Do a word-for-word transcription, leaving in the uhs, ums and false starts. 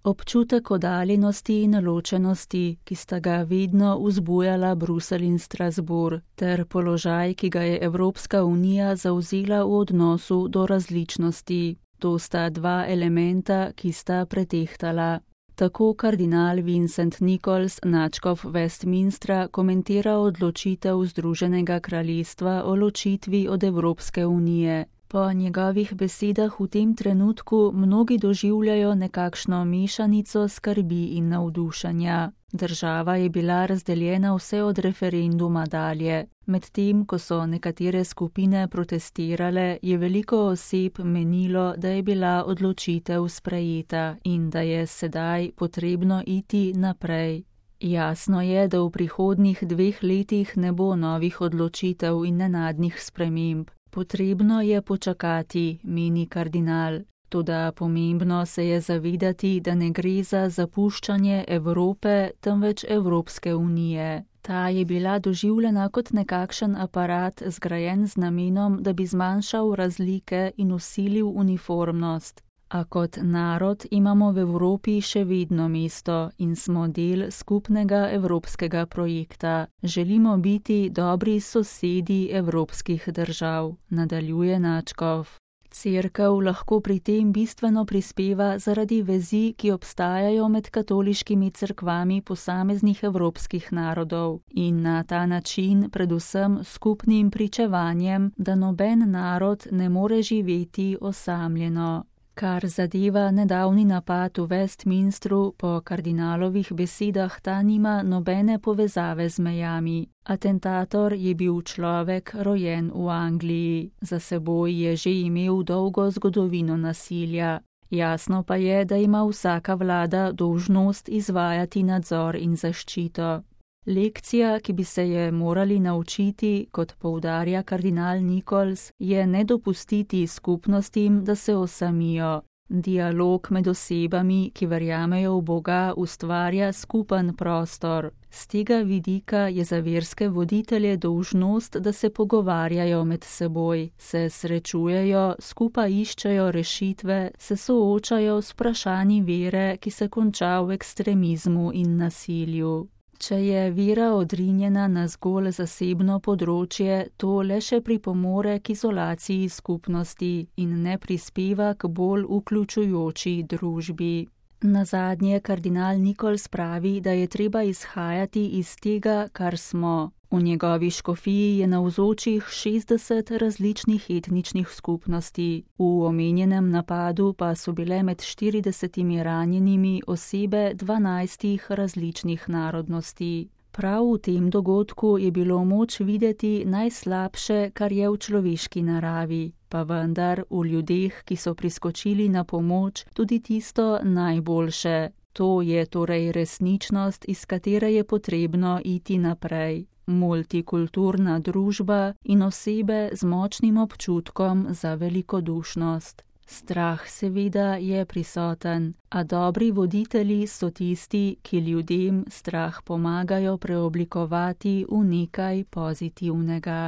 Občutek oddaljenosti in ločenosti, ki sta ga vedno vzbujala Bruselj in Strasbourg, ter položaj, ki ga je Evropska unija zavzela v odnosu do različnosti. To sta dva elementa, ki sta pretehtala. Tako kardinal Vincent Nichols, nadškof Westminstra, komentira odločitev Združenega kraljestva o ločitvi od Evropske unije. Po njegovih besedah v tem trenutku mnogi doživljajo nekakšno mešanico skrbi in navdušenja. Država je bila razdeljena vse od referenduma dalje. Medtem, ko so nekatere skupine protestirale, je veliko oseb menilo, da je bila odločitev sprejeta in da je sedaj potrebno iti naprej. Jasno je, da v prihodnjih dveh letih ne bo novih odločitev in nenadnih sprememb. Potrebno je počakati, meni kardinal. Toda pomembno se je zavedati, da ne gre za zapuščanje Evrope, temveč Evropske unije. Ta je bila doživljena kot nekakšen aparat, zgrajen z namenom, da bi zmanjšal razlike in vsilil uniformnost. A kot narod imamo v Evropi še vedno mesto in smo del skupnega evropskega projekta. Želimo biti dobri sosedi evropskih držav, nadaljuje nadškof. Cerkev lahko pri tem bistveno prispeva zaradi vezi, ki obstajajo med katoliškimi cerkvami posameznih evropskih narodov in na ta način predvsem skupnim pričevanjem, da noben narod ne more živeti osamljeno. Kar zadeva nedavni napad v Westminstru, po kardinalovih besedah ta nima nobene povezave z mejami. Atentator je bil človek rojen v Angliji, za seboj je že imel dolgo zgodovino nasilja. Jasno pa je, da ima vsaka vlada dolžnost izvajati nadzor in zaščito. Lekcija, ki bi se je morali naučiti, kot poudarja kardinal Nichols, je ne dopustiti skupnostim, da se osamijo. Dialog med osebami, ki verjamejo v Boga, ustvarja skupen prostor. Z tega vidika je za verske voditelje dolžnost, da se pogovarjajo med seboj, se srečujejo, skupaj iščejo rešitve, se soočajo s vprašanji vere, ki se konča v ekstremizmu in nasilju. Če je vera odrinjena na zgolj zasebno področje, to le še pripomore k izolaciji skupnosti in ne prispeva k bolj vključujoči družbi. Nazadnje kardinal Nichols pravi, da je treba izhajati iz tega, kar smo. V njegovi škofiji je navzočih šestdeset različnih etničnih skupnosti. V omenjenem napadu pa so bile med štiridesetimi ranjenimi osebe dvanajstih različnih narodnosti. Prav v tem dogodku je bilo moč videti najslabše, kar je v človeški naravi, pa vendar v ljudeh, ki so priskočili na pomoč, tudi tisto najboljše. To je torej resničnost, iz katere je potrebno iti naprej. Multikulturna družba in osebe z močnim občutkom za velikodušnost. Strah seveda je prisoten, a dobri voditelji so tisti, ki ljudem strah pomagajo preoblikovati v nekaj pozitivnega.